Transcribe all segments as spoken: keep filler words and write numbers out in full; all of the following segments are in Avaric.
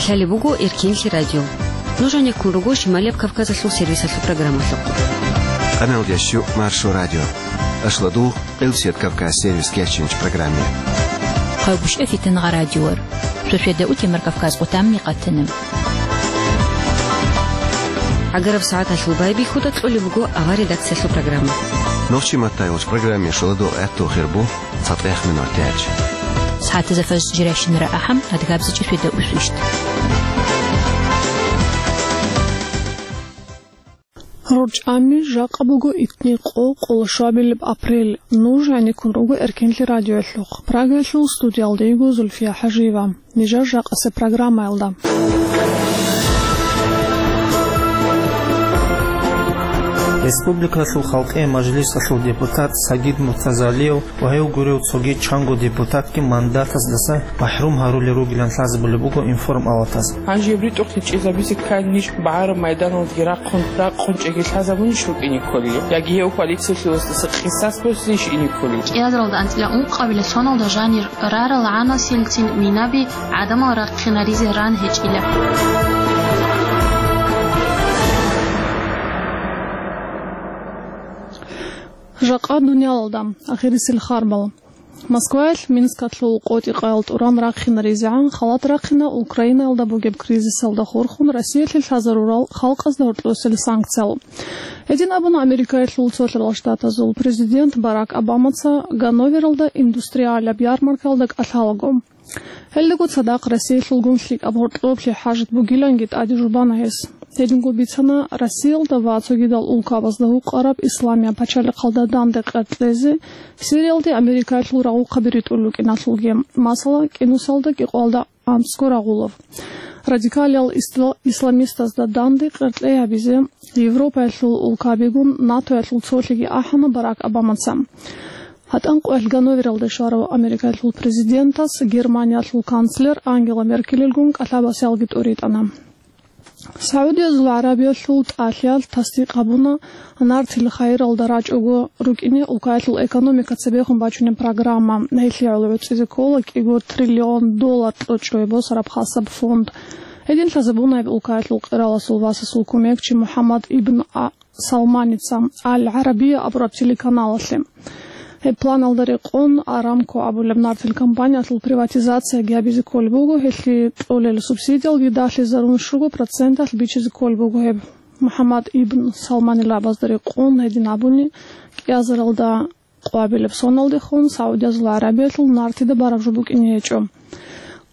Лъалеб буго Эркенлъи радио. Нуж гьанеккун руго Шималияб Кавказалъул сервисалъул программалъухъ. Къаналдящу Маршо радио. Ашладугъ Къилсият Кавказ сервис кечинч программе. Хъавбушев Фитангъа радиор. Сосведа утемар Кавказ къутамми къатана. ГӀагараб сагӀаталъул байбихьуда кьолеб буго авар редакциялъул программа. Нохчи матайулч программе шоладо гӀатту хирбу. ЦатӀех минут яч. СагӀатазда фаз жиращинара ахӀам, адгабзичӀи светаусвищ. РорчӀами жакъа буго итни къо, къоло шабилеб апрель. Нуж гӀенеккун руго Эркенлъи радиоялъухъ. Прагаялъул студиялда йиго Зульфия ХӀажиева. Нижер жакъасеб программаялда. Республикалъул халкъи мажлисалъул депутат Сагид Муртазалиев ва гьев гурев цоги чанго депутатги мандатаздаса махӀрум гьарулел ругилан лъазабулеб буго информпалатаз. Гьанже гьеб ритӀухълъи чӀезабизе ккани ниж багӀараб майданалдеги рахъун, ракъун чӀеги лъазабунищ рукӀине кколел? Яги гьев коалициялъуласдаса къисас босизейищ ине кколел? КӀиазаралда анцӀила ункъабила соналда жанир рарал гӀанасилцин минаби гӀадамал рахъинаризе ран гьечӀила. Жакъа дуниялалда ахирисел харбал. Москваялъ Минскалъул къотӀи-къаял тӀуран рахъинаризегӀан халат рахъина Украинаялда бугеб кризисалда хурхун Россиялъе лъазарурал халкъазда гьоркьосел санкциял. Гьедин абуна Америкаялъул Цолъарал Штатазул президент Барак Обамаца Ганновералда индустриалаб ярмаркаялда кӀалъалаго. Гьелдаго цадахъ Россиялъулгун лъикӀаб гьоркьоблъи хӀажат бугиланги тӀаде жубана гьес. Гьединго бицана Россиялда ва цогидал улкабазда гьукъараб Исламияб пачалихъалда данде къеркьезе Сириялде Америкаялъул рагъухъаби ритӀулел рукӀиналъулги, масала, КӀинусалда кӀикъоялда анцӀго рагъулев. Радикалиял исла-, исламистазда данде къеркьей гьабизе Европаялъул улкабигун НАТОялъул цолъиги ахӀана Барак Обамаца. ГьатӀан къоялъ Ганновералде щварав Америкаялъул президентас Германиялъул канцлер Ангела Меркелилгун кӀалъабасиялги тӀуритӀана. СагӀудиязул ГӀарабиялъул тӀалъиялъ тасдикъ гьабуна, нартил хайиралда рачӀого рукӀине улкаялъул экономика цебехун бачунеб программа. Гьелъие гӀоло гӀуцӀизе ккола кӀиго триллион доллар кьучӀое босараб хасаб фонд. Гьедин лъазабуна гьеб улкаялъул къираласул васасул кумекчи МухӀаммад ибн А-, Салманица Аль-ГӀарабия абураб телеканалалъе. Гьеб планалда рекъон Арамко абулеб нартил компаниялъул приватизацияги гьабизе кколеб буго, гьелъие кьолел субсидиялги далъизарун щуго проценталъ бичизе кколеб буго гьеб. МухӀаммад ибн Салманил абазда рекъон гьедин абуни, кӀиазаралда къвабилеб соналдехун СагӀудиязул ГӀарабиялъул нартида бараб жо букӀине гьечӀо.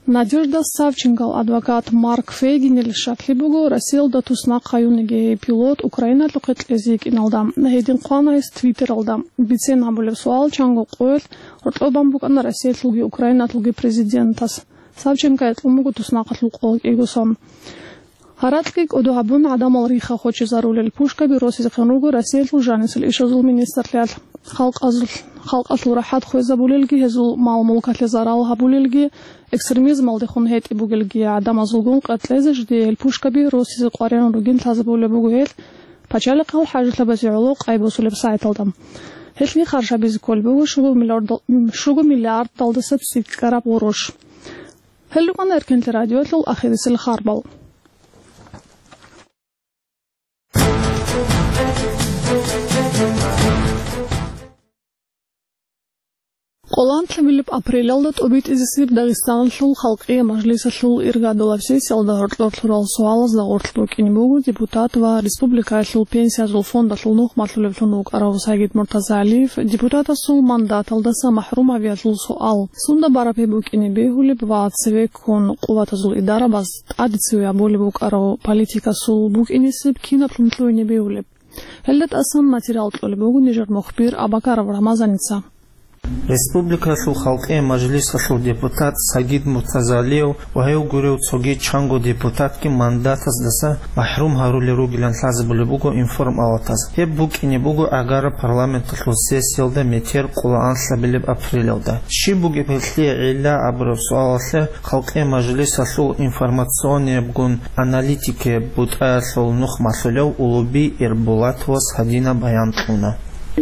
Надежда Савченкол адвокат Марк Фейгинил щаклъи буго, Россиялда туснахъ гьаюнеги гьей пилот Украиналъухъе кьезе йикӀиналда. Гьедин хъвана гьес Твиттералда. Бицен гьабулеб суал чанго къоялъ гьоркьоб бан букӀана Россиялъулги Украиналъулги президентас. Савченкое кьун буго туснахъалъул къо кӀиго сон. Гьаракьги кӀодо гьабун, гӀадамал рихха хочезарулел пушкаби росизехъин руго Россиялъул жанисел ишазул министрлъиялъ. Халкъазул-, халкъалъул рахӀат хвезабулелги, гьезул мал-мулкалъе зарал гьабулелги, экстремизмалдехун гьетӀи бугелги гӀадамазулгун къеркьезе жидее гьел пушкаби росизе къваригӀун ругин лъазабулеб буго гьел пачалихъал хӀажалъабазе гӀоло къайбосулеб сайталда. Гьелъги харж гьабизе кколеб буго щуго миллиард-, щуго миллиардалдаса цӀикӀкӀараб гъурущ. Гьел рукӀана Эркенлъи радиоялъул ахирисел харбал. Къоло анлъабилеб апрелалда тӀобитӀизесеб Дагъистаналъул халкъие мажлисалъул иргадулаб сессиялда гьоркьор лъурал суалазда гъорлъ букӀине буго депутат ва республикаялъул пенсиязул фондалъул нух малъулевлъун вукӀарав Сагид Муртазалиев депутатасул мандаталдаса махӀрум гьавиялъул суал. Сунда бараб гьеб букӀине бегьулеб ва цевеккун къуватазул идарабаз тӀаде цеве абулеб букӀарав политикасул букӀинесеб кинаблъун лъугьине бегьулеб? Гьелда тӀасан материал кьолеб буго нижер мухбир Абакаров Рамазаница. Республикалъул халкъие мажлисалъул депутат Сагид Муртазалиев ва гьев гурев цоги чанго депутатги мандатаздаса махӀрум гьарулел ругилан лъазабулеб буго информпалатаз. Гьеб букӀине буго гӀагараб парламенталъул сессиялда метер къоло анлъабилеб апрелалда. Щиб бугеб гьелъие гӀилла абураб суалалъе халкъие мажлисалъул информационниябгун аналитикияб бутӀаялъул нух малъулев Улуби Ирбулатовас гьадинаб баян кьуна.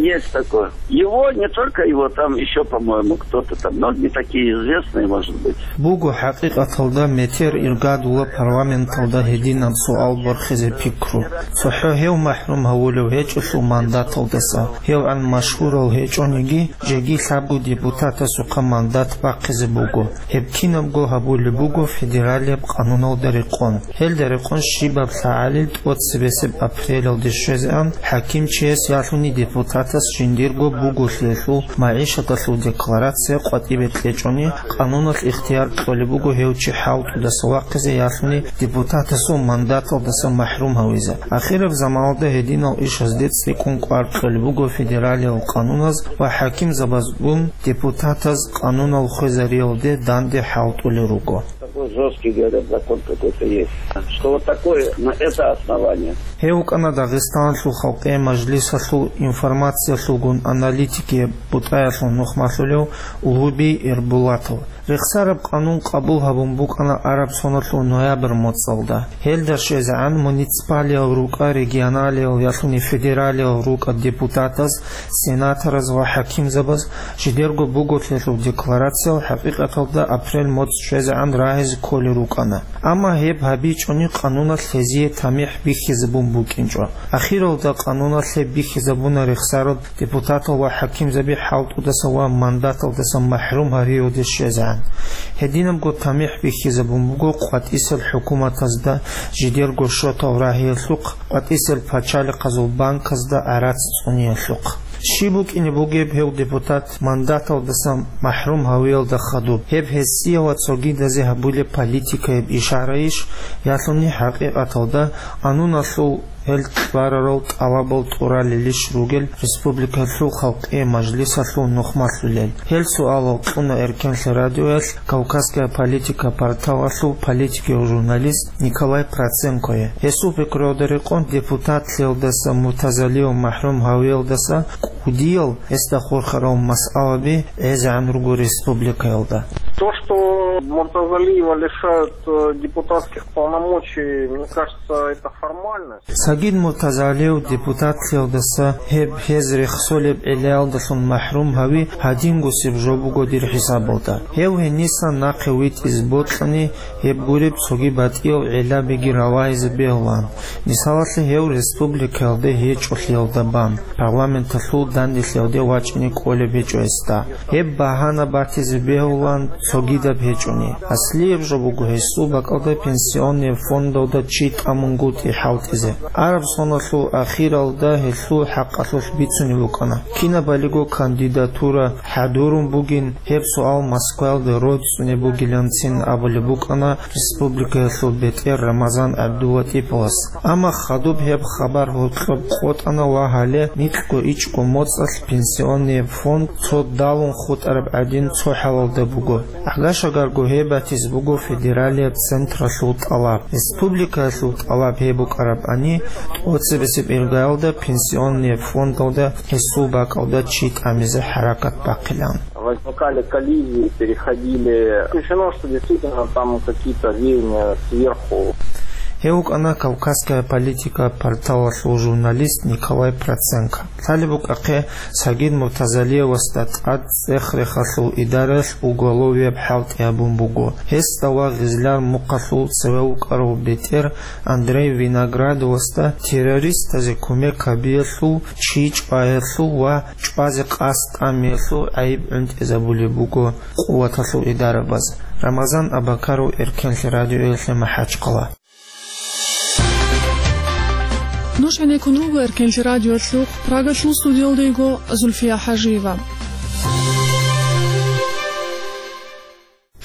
Есть такое. Его, не только его, там еще, по-моему, кто-то там, но не такие известные, может быть. Буго хӀакъикъаталда метер иргадула парламенталда гьединаб суал борхизе пикру. ЦохӀо гьев махӀрум гьавулев гьечӀолъул мандаталдаса, гьевгӀан машгьурал гьечӀониги, жеги лъабго депутатасухъа мандат бахъизе буго. Гьеб кинабго гьабулеб буго федералияб къануналда рекъон. Гьелда рекъон щибаб лъагӀалил тӀоцебесеб апрелалде щвезегӀан хӀакимчияс ялъуни депутатас жиндирго буголъиялъул магӀишаталъул декларация къватӀибе кьечӀони, къануналъ ихтияр кьолеб буго гьев чи хӀалтӀудаса вахъизе ялъуни депутатасул мандаталдаса махӀрум гьавизе. Ахираб заманалда гьединал ишазде цӀикӀкӀун кӀвар кьолеб буго федералиял къануназ ва хӀакимзабазгун депутатаз къанунал хвезариялде данде хӀалтӀулел руго. Такой жесткий, говорят, закон какой-то есть, что вот такое, на это основание. Гьев вукӀана Дагъистаналъул халкъе мажлисалъул информациялъулгун аналитикияб бутӀаялъул нухмалъулев Улгьуби Эрбулатов. Рехсараб къанун къабул гьабун букӀана араб соналъул ноябрь моцӀалда. Гьелда щвезегӀан муниципалиял рукӀа, регионалиял ялъуни федералиял рукӀа депутатаз, сенатораз ва хӀакимзабаз жидерго буголъиялъул декларациял хӀакъикъаталда апрель моцӀ щвезегӀан рагьизе кколел рукӀана. Амма гьеб гьабичӀони къануналъ гьезие тамихӀ бихьизабун букӀинчӀо. Ахиралда къануналъ гьеб бихьизабуна рехсараб депутатал ва хӀакимзаби хӀалтӀудаса ва мандаталдаса махӀрум гьариялде щвезегӀан. Гьединабго тамихӀ бихьизабун буго къватӀисел хӀукуматазда, жидерго шотал рагьиялъухъ, къватӀисел пачалихъазул банказда гӀарац цӀуниялъухъ. Щиб букӀине бугеб гьев депутат мандаталдаса махӀрум гьавиялда хадуб? Гьеб гьесие ва цогидазе гьабулеб политикаяб ишарайищ, ялъуни хӀакъикъаталда къануналъул гьел кьварарал тӀалабал тӀуралелищ ругел республикалъул халкъие мажлисалъул нухмалъулел? Гьел суалал кьуна Эркенлъи радиоялъ Кавказская политика порталалъул политикияв журналист Николай Проценкое. Гьесул пикруялда рекъон депутатлъиялдаса Муртазалиев махӀрум гьавиялдаса кӀудиял гьесда хурхарал масъалаби гӀезегӀан руго республикаялда. То, что Муртазалиева лишают, э, депутатских полномочий, мне кажется, это формальность. Сагид Муртазалиев депутатлъиялдаса гьеб гьез рехсолеб гӀиллаялдалъун махӀрум гьави гьадингусеб жо буго дир хӀисабалда. Гьев гьениса нахъе витӀизе бокьани, гьеб гуреб цоги батӀиял гӀиллабиги раваизе бегьулаан. Мисалалъе, гьев республикаялде гьечӀолъиялда бан, парламенталъул данделъиялде вачӀине кӀолеб гьечӀо гьесда. Гьеб багьана батизе бегьулаан цогидаб гьечӀони. Аслияб жо буго гьесул бакӀалда пенсионный фондалда чи тӀамунгутӀи хӀалтӀизе. Араб соналъул ахиралда гьелъул хӀакъалъулъ бицунеб букӀана. Кинабалиго кандидатура хӀадурун бугин, гьеб суал Москваялда роцӀцӀунеб бугиланцин абулеб букӀана республикаялъул бетӀер Рамазан ГӀабдулатӀиповас. Амма хадуб гьеб хабар гьоркьоб къотӀана ва гьале микьго ичӀго моцӀалъ пенсионный фонд цо далун хутӀараб гӀадин цо хӀалалда буго. Агашагарго гьеб батизе буго федералияб централъул тӀалаб. Республикаялъул тӀалаб гьеб букӀарабани, тӀоцебесеб иргаялда пенсионный фондалда гьесул бакӀалда чи тӀамизе хӀаракат бахъилан. Возникали коллизии, переходили. Исключено, что действительно там какие-то веяния сверху. Гьев вукӀана «Кавказская политика» порталалъул журналист Николай Проценко. Лъалеб букӀахъе, Сагид Муртазалиевасда тӀад цӀех-рехалъул идараялъ уголовияб хӀалтӀи гьабун буго. Гьесда ва Гъизляр мухъалъул цеве вукӀарав бетӀер Андрей Виноградовасда террористазе кумек гьабиялъул, чи чӀваялъул ва чӀвазе къасд тӀамиялъул гӀайиб гӀунтӀизабулеб буго къуваталъул идарабаз. Рамазан Абакаров, Эркенлъи радиоялъе МахӀачхъала. Нуж гӀенеккун руго Эркенлъи радиоялъухъ, Прагалъул студиялда йиго Зульфия ХӀажиева.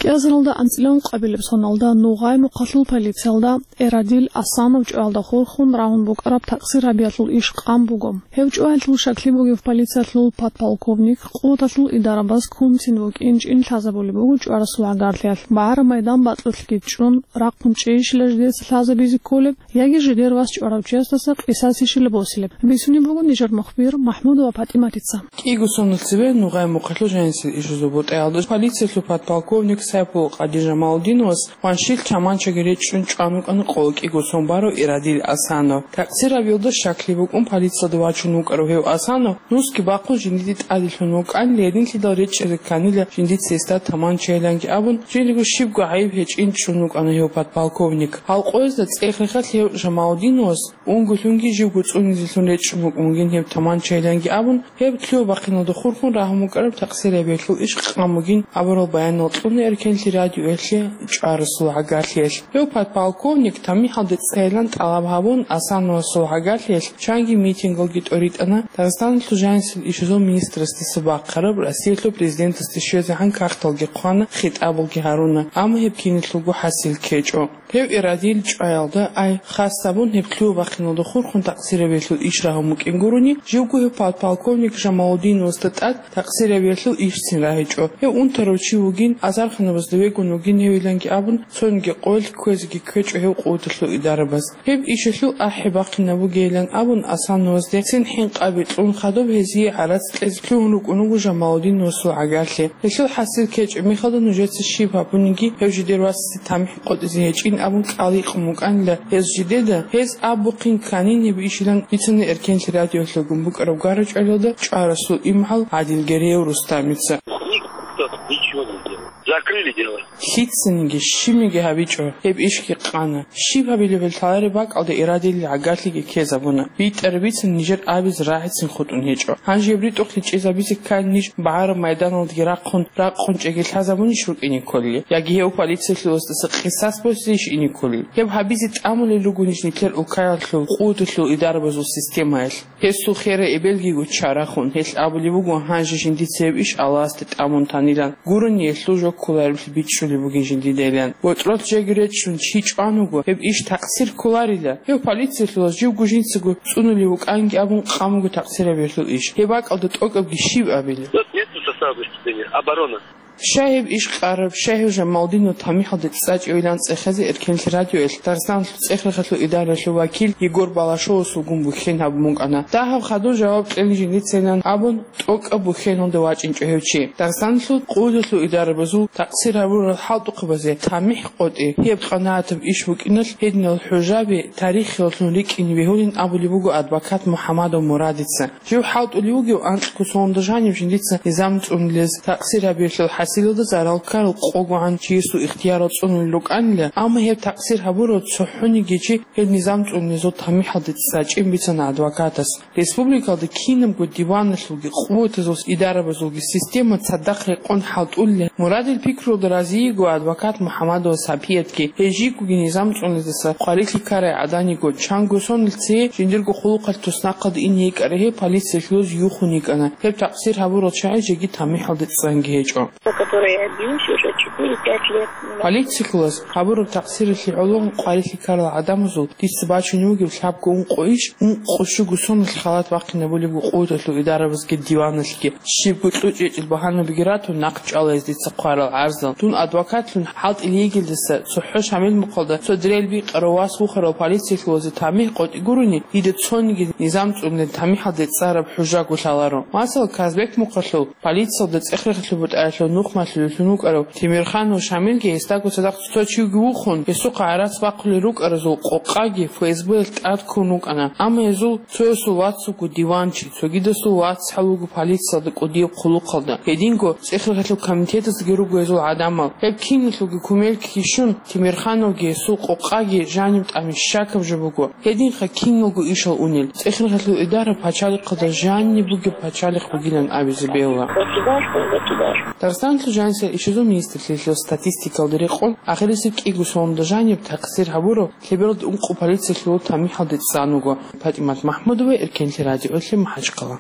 КӀиазаралда анцӀила ункъабилеб соналда Нугъай мухъалъул полициялда Эрадил Асанов чӀваялда хурхун рагьун букӀараб такъсир гьабиялъул иш къан буго. Гьев чӀваялъул щаклъи бугев полициялъул подполковник къуваталъул идарабаз кунцин вукӀин чӀин лъазабулеб буго чӀварасул гӀагарлъиялъ. БагӀараб майдан батӀулъги чӀун, рахъун чӀейищила жидеца лъазабизе кколеб, яги жидер вас чӀварав чиясдаса къисасищила босилеб? Бицунеб буго нижер мухбир МахӀмудова ПатӀиматица. КӀиго соналъ цебе Нугъай мухъалъул жанисел ишазул бутӀаялда полициялъул подполковник Сайпул Къадир Жамалудиновас къваншил чаманчаги речӀчӀун чӀван вукӀана къоло кӀиго сон барав Ирадил Асанов. Такъсир гьабиялда щаклъи букӀун полициялда вачун вукӀарав гьев Асанов нусги бахъун жиндиде тӀаде лъун вукӀанила, гьединлъидал речӀчӀизе кканила жиндица гьесда таманчайиланги абун, жиндирго щибго гӀайиб гьечӀин чӀун вукӀана гьев подполковник. Гьал къоязда цӀех-рехалъ гьев Жамалудиновас унгулъунги живго цӀунизелъун речӀчӀун вукӀун вугин гьеб таманчайиланги абун, гьеб лъугьа-бахъиналда хурхун рагьун букӀараб такъсир гьабиялъул иш къан бугин абурал баянал кьуна Эркенлъи радиоялъе чӀварасул гӀагарлъиялъ. Гьев подполковник тамихӀалде цӀцӀайилан тӀалаб гьабун, Асановасул гӀагарлъиялъ чанги митингалги тӀоритӀана, Дагъистаналъул жанисел ишазул министрасдаса бахъараб, Россиялъул президентасде щвезегӀан кагъталги хъвана, хитӀабалги гьаруна, амма гьеб киналъулго хӀасил ккечӀо. Гьев Ирадил чӀваялда, ай, хас абун гьеб лъугьа-бахъиналда хурхун такъсир гьабиялъул иш рагьун букӀин гурони, живго гьев подполковник Жамалудиновасда тӀад такъсир гьабиялъул ишцин рагьичӀо. Гьев унтарав чи вугин, азарханабазда вегун вугин гьевиланги абун, цониги къоялъ кквезеги ккечӀо гьев къуваталъул идарабаз. Гьеб ишалъул ахӀи бахъинаб бугейилан абун, Асановасде цин хӀинкъаби кьун хадуб гьезие гӀарац кьезе лъугьун рукӀун вуго Жамалудиновасул гӀагарлъи. Гьелъул хӀасил ккечӀеб мехалда нужеца щиб гьабуниги, гьев жидер вацасе тамихӀ къотӀизе гьечӀин абун кӀал гьикъун букӀанила гьез жидеда, гьез абухъин кканин гьеб ишилан бицана Эркенлъи радиоялъулгун букӀараб гара-чӀвалалда чӀварасул имгӀал ГӀадил Гереев Рустамица. Никто ничего не делал. Закрыли дело. Лъицаниги щибниги гьабичӀо, гьеб ишги къана. Щиб гьабилебали лъалареб бакӀалда Ирадилил гӀагарлъиги ккезабуна. БитӀараб бицан нижер абизе рагӀицин хутӀун гьечӀо. Гьанже гьеб ритӀухълъи чӀезабизе ккани ниж багӀараб майданалдаги рахъун, ракъун чӀеги лъазабунищ рукӀине кколел? Яги гьев полициялъуласдаса къисас босизейищ ине кколел? Гьеб гьабизе тӀамулел руго ниж нилъер улкаялъул къуваталъул идарабазул системаялъ. Гьесул херай эбелгиго чарахун, гьелъ абулеб буго, гьанже жиндица гьеб иш Аллагьасде тӀамун танилан, гурони гьелъул жо кколаревлъи бичӀчӀулеб бугин жиндидайилан. БорчӀролъ жеги речӀчӀун чи чӀван вуго, гьеб иш такъсир кколарила. Гьев полициялъулас живго жинцаго цӀунулев вукӀанги абун къан буго такъсир гьабиялъул иш. Гьеб бакӀалда тӀокӀабги щиб абилеб? Тут нет состава преступления. Оборона. Щай гьеб иш къараб, щай гьев Жамалудинов тамихӀалде цӀцӀачӀевилан цӀехезе Эркенлъи радиоялъ Дагъистаналъул цӀех-рехалъул идараялъул вакил Егор Балашовасулгун бухьен гьабун букӀана. Дагьаб хадуб жаваб кьелин жиндицайилан абун, тӀокӀаб бухьеналде вачӀинчӀо гьев чи. Дагъистаналъул къуваталъул идарабазул такъсир гьабурал хӀалтӀухъабазе тамихӀ къотӀи, гьеб къанагӀатаб иш букӀиналъ гьединал хӀужаби тарихиялъун рикӀкӀине бегьулин абулеб буго адвокат МухӀамадов Мурадица. Жив хӀалтӀулев вугев анкьго соналда жанив жиндица низам цӀунулез, такъсир гьабиялъул хӀасилалда зарал ккарал къогогӀан чиясул ихтиярал цӀунулел рукӀанила, амма гьеб такъсир гьабурав цохӀониги чи гьеб низам цӀунулезул тамихӀалде цӀцӀачӀин бицана адвокатас. Республикалда кинабго диваналъулги къуватазул идарабазулги система цадахъ рекъон хӀалтӀулел. Мурадил пикруялда разиего адвокат МухӀамадова Сапиятги, гьей жийгоги низам цӀунулездаса къварилъи ккарай гӀадан йиго, чанго сонал цее жиндирго хъулухъалъ туснахъалде ине йикӀарай гьей полициялъулаз юхун йикӀана. Гьеб такъсир гьабурал чагӀи жеги тамихӀалде цӀцӀанги гьечӀо. Который я бьюсь уже четыре-пять лет. Полициялъулаз гьабураб такъсиралъе гӀоло къварилъи ккарал гӀадамазул дица бачунев вугеб лъабго ункъо иш, ункъо щуго соналъ халат бахъинабулебго къуваталъул идарабазги диваналъги. Щибго кьучӀ-гьечӀел багьанабиги ратун, нахъ чӀвала гьез дица хъварал гӀарзал. Дун адвокатлъун хӀалтӀулев йигелдаса, цохӀо Шамил мухъалда цо дрель бикъарав вас вухарал полициялъулазе тамихӀ къотӀи гурони, дида цониги низам цӀунулел тамихӀалде цӀцӀараб хӀужаго лъаларо. Масала, Казбек мухъалъул полициялда цӀех-рехалъул бутӀаялъул нухмалъулевлъун вукӀарав Темирханов Шамилги гьесдаго цадахъ цо чивги вухун, гьесухъа гӀарац бахъулел рукӀаразул къокъаги ФСБ-ялъ тӀад ккун вукӀана. Амма гьезул цоясул вацаго диванчи, цогидасул вацгӀал вуго полициялда кӀудияб хъулухъалда. Гьединго цӀех-рехалъул комитетаздаги руго гьезул гӀадамал. Гьеб киналъулги кумек ккей щун, Темирхановги гьесул къокъаги жаниб тӀамиша щакаб жо буго. Гьединха киналго ишал унел. ЦӀех-рехалъул идара пачалихъалда жаниб бугеб пачалихъ бугилан абизе бегьула. Государство, государство. Дагъистаналъул жанисел ишазул министрлъиялъул статистикалда рекъон, ахирисеб кӀиго соналда жаниб такъсир гьабурав лъебералда ункъо полициялъул тамихӀалде цӀцӀан вуго. ПатӀимат МахӀмудова, Эркенлъи радиоялъе, МахӀачхъала.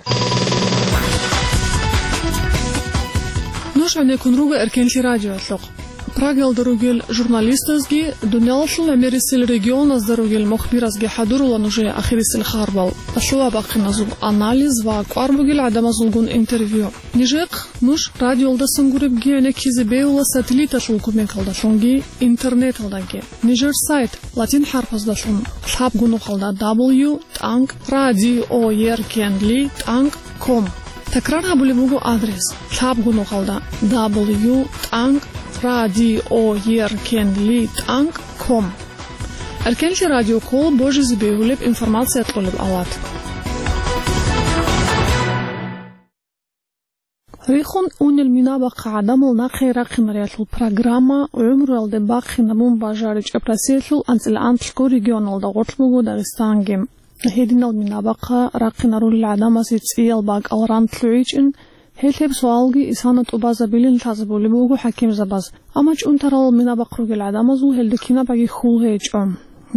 Нуж гӀенеккун руго Эркенлъи радиоялъухъ. Прагалда ругел журналистазги, дуниялалъул гӀемерисел регионазда ругел мухбиразги хӀадурула нужее ахирисел хабарал, лъугьа-бахъиназул анализ ва кӀвар бугел гӀадамазулгун интервью. Нижехъ нуж радиоялдасан гуребги гӀенеккизе бегьула сателлиталъул кумекалдалъунги интернеталдаги. Нижер сайт латин хӀарпаздалъун лъабго нухалда W тӀанкӀ радиоеркенли тӀанкӀ ком. Такрар гьабулеб буго адрес: лъабго нухалда W тӀанкӀ радиоеркенлитӀанг ком. Эркенлъи радио ккола божизе бегьулеб информация кьолеб алат. Рихун унел минабахъа гӀадамал нахъе рахъинариялъул программа гӀумруялде бахъинабун бажаричӀеб Россиялъул анцӀила анлъго регионалда гъорлъ буго Дагъистанги. Гьединал минабахъа рахъинарулел гӀадамазе цӀиял бакӀал ран лъугӀичӀин, гьел гьеб суалги исана тӀубазабилин лъазабулеб буго хӀакимзабаз. Амма чӀунтарал минабахъ ругел гӀадамазул гьелда кинабаги хьул гьечӀо.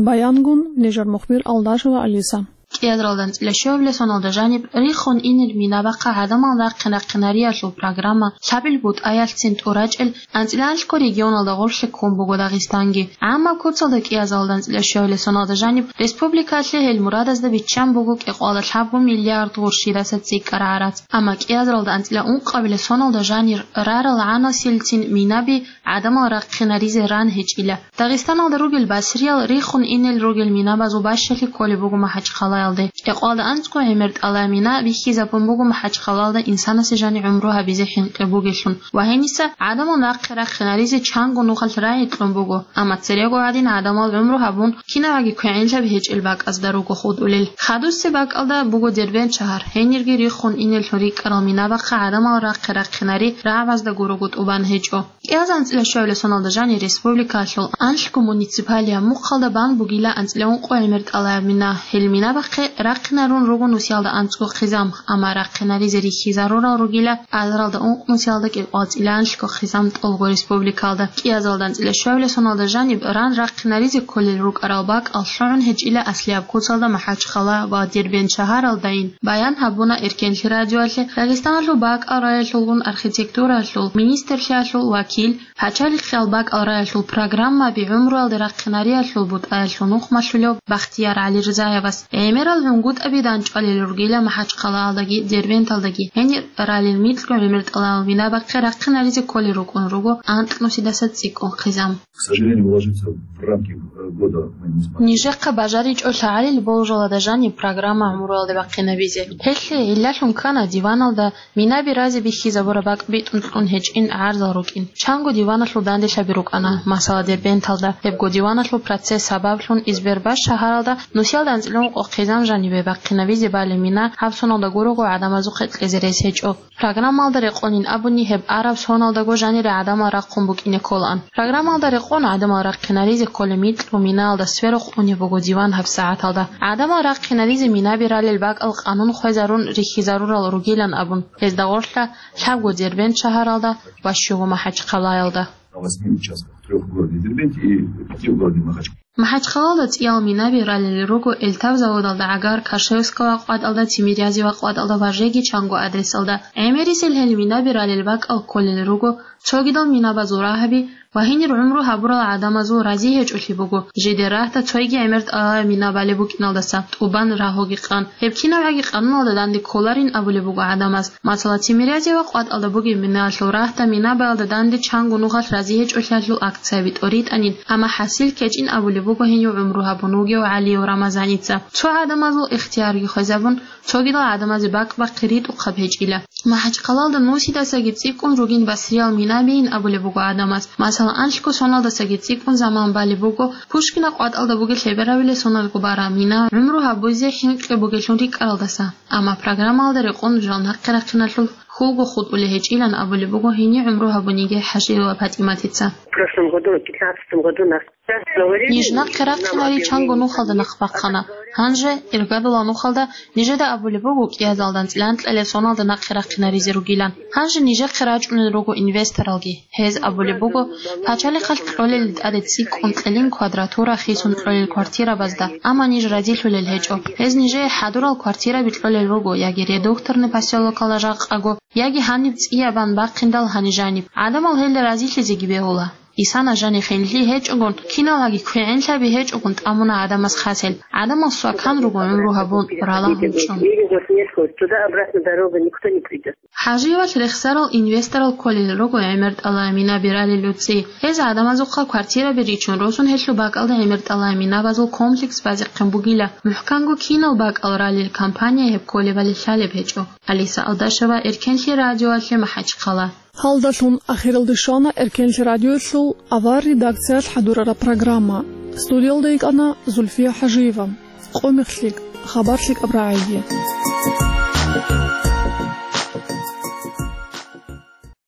Баянгун нижер мухбир Алдашева Алиса. КӀиазаралда анцӀила щуабилеб соналда жаниб рихун инел минабахъа гӀадамал рахъин-рахъинариялъул программа лъабил бутӀаялъцин тӀурачӀел анцӀила анлъго регионалда гъорлъе ккун буго Дагъистанги. ГӀаммаб куцалда кӀиазаралда анцӀила щуабилеб соналда жаниб республикалъе гьел мурадазда биччан буго кӀикъоялда лъабго миллиард гъурщидаса цӀикӀкӀараб гӀарац. Амма кӀиазаралда анцӀила ункъабилеб соналда жанир рарал гӀанасилцин минаби гӀадамал рахъинаризе ран гьечӀила. Дагъистаналда ругел басриял рихун инел ругел минабазул бащалъи кколеб буго МахӀачхъалаялде. КӀикъоялда анцӀго гӀемер тӀалаб мина бихьизабун буго МахӀачхъалаялда инсанасе жаниб гӀумру гьабизе хӀинкъи бугелъун ва гьениса гӀадамал нахъе рахъинаризе чанго нухалъ рагӀи кьун буго, амма церего гӀадин гӀадамал гӀумру гьабун, кинабаги квегӀинлъаби гьечӀел бакӀазда руго хутӀулел. Хадусеб бакӀалда буго Дербент шагьар, гьенирги рихун инеллъун рикӀкӀарал минабахъа гӀадамал рахъе рахъинари рагӀабазда гурого тӀубан гьечӀо. КӀиазаралда анцӀила щуабилеб соналда жанир республикалъул анлъго муниципалияб мухъалда бан бугила анцӀила ункъо гӀемер тӀалаб мина. Гьел минабахъе рахъинарун руго нусиялда анцӀго хъизан, амма рахъинаризе рихьизарурал ругила азаралда ункънусиялда кӀикъоялда анлъго хъизан тӀолго республикалда. КӀиазаралда анцӀила щуабилеб соналда жаниб ран рахъинаризе кколел рукӀарал бакӀал лъугӀун гьечӀила аслияб куцалда МахӀачхъала ва Дербент шагьаралдайин, баян гьабуна Эркенлъи радиоялъе Дагъистаналъул бакӀал раялъулгун архитектуралъул министрлъиялъул вакил, пачалихъиял бакӀал раялъул программаби гӀумруялде рахъинариялъул бутӀаялъул нухмалъулев Бахтияр ГӀалирзаевас. ГӀемерал гӀунгутӀаби данчӀвалел ругила МахӀачхъалаялдаги Дербенталдаги. Гьенир ралел микьго гӀемер тӀалаб минабахъе рахъинаризе кколел рукӀун руго анкьнусидаса цӀикӀкӀун хъизан. К сожалению, уложиться в рамки, э, года мы не смогли. Нижехъа бажаричӀо лъагӀалил болжалада жаниб программа гӀумруялде бахъинабизе. Гьелъие гӀиллалъун ккана диваналда минаби разе бихьизабураб бакӀ битӀун кьун гьечӀин гӀарзал рукӀин. Чанго диваналъул данделъаби рукӀана, масала, Дербенталда. Гьебго диваналъул процесс сабаблъун Избербаш шагьаралда нусиялда анцӀила ункъо хъизан жанибе бахъинабизе балеб мина гьаб соналда гурого гӀадамазухъе кьезе рес гьечӀо. Программалда рекъонин абуни, гьеб араб соналдаго жанире гӀадамал рахъун букӀине кколаан. Программалда рекъон гӀадамал рахъинаризе кколеб микьго минаялда сверухъ унеб буго диван гьабсагӀаталда. ГӀадамал рахъинаризе минаби ралел бакӀал къанун хвезарун рихьизарурал ругилан абун, гьезда гъорлъа лъабго Дербент шагьаралда ва щуго МахӀачхъалаялда. На восьми участках, трёх в городе Дербенте и пяти в городе Махачкале. МахӀачхъалалда цӀиял минаби ралел руго Эльтав заводалда гӀагар, Кашевского къватӀалда, Тимирязева къватӀалда ва жеги чанго адресалда. ГӀемерисел гьел минаби ралел бакӀал кколел руго, цогидал минабазул рагьаби ва гьенир гӀумру гьабурал гӀадамазул рази гьечӀолъи буго, жидер рагьда цойги гӀемер тӀалаб мина балеб букӀиналдаса тӀубан рагьуги къан. Гьеб кинабгӀаги къануналда данде кколарин абулеб буго гӀадамаз. Масала, Тимирязева къватӀалда бугеб минаялъул рагьда минабаялда данде чанго нухалъ рази гьечӀолъиялъул акцияби тӀоритӀанин, амма хӀасил ккечӀин абулеб буго гьенив гӀумру гьабун вугев ГӀалиев Рамазаница. Цо гӀадамазул ихтиярги хвезабун, цогидал гӀадамазе бакӀ-бахъи ритӀухъаб гьечӀила. МахӀачхъалалда нусидасаги цӀикӀкӀун ругин басриял минабийин абулеб буго гӀадамаз. Масала, анлъго соналдасаги цӀикӀкӀун заман балеб буго, Пушкина къватӀалда бугеб лъеберабилеб соналго бараб мина гӀумру гьабузе хӀинкъи бугелъун рикӀкӀаралдаса. Амма программалда рекъон жал нахъе рахъиналъул хьулго хутӀулей гьечӀилан абулеб буго гьенив гӀумру гьабуниги ХӀажиева ПатӀиматица. В прошлом году, в пятнадцатом году нас Ниж нахъе рахъинари чанго нухалда нахъ бахъана. Гьанже, иргадулал нухалда, нижеда абулеб буго кӀиазалда анцӀила анкьалеб соналда нахъе рахъинаризе ругилан. Гьанже нижехъе рачӀунел руго инвесторалги. Гьез абулеб буго, пачалихъалъ кьолел тӀаде цӀикӀкӀун кьелин квадратура хисун кьолел квартирабазда, амма ниж разилъулел гьечӀо. Гьез нижее хӀадурал квартираби кьолел руго яги Редукторный посёлокалда жакъаго, яги гьаниб цӀиябан бахъиндал гьанижаниб. ГӀадамал гьелда разилъизеги бегьула. Исана жанихъинлъи гьечӀогун, киналгьаги квегӀинлъаби гьечӀогун тӀамуна гӀадамаз хасел. ГӀадамал свакан руго гӀумру гьабун, ралагьун чӀун. Туда-обратно дорога, никто не придёт. ХӀажиевалъ рехсарал инвесторал кколел руго гӀемер тӀалаб минаби ралел руцӀи. Гьез гӀадамазухъа квартираби ричун росун гьелъул бакӀалда гӀемер тӀалаб минабазул комплекс базехъин бугила. МухӀканго кинал бакӀал ралел компания гьеб кколебали лъалеб гьечӀо. Алиса Алдашева, Эркенлъи радиоялъе, МахӀачхъала. Гьалдалъун ахиралде щвана Эркенлъи радиоялъул авар редакциялъ хӀадурараб программа. Студиялда йикӀана Зульфия ХӀажиева. Къо мехлъи, хабар лъикӀаб рагӀиги.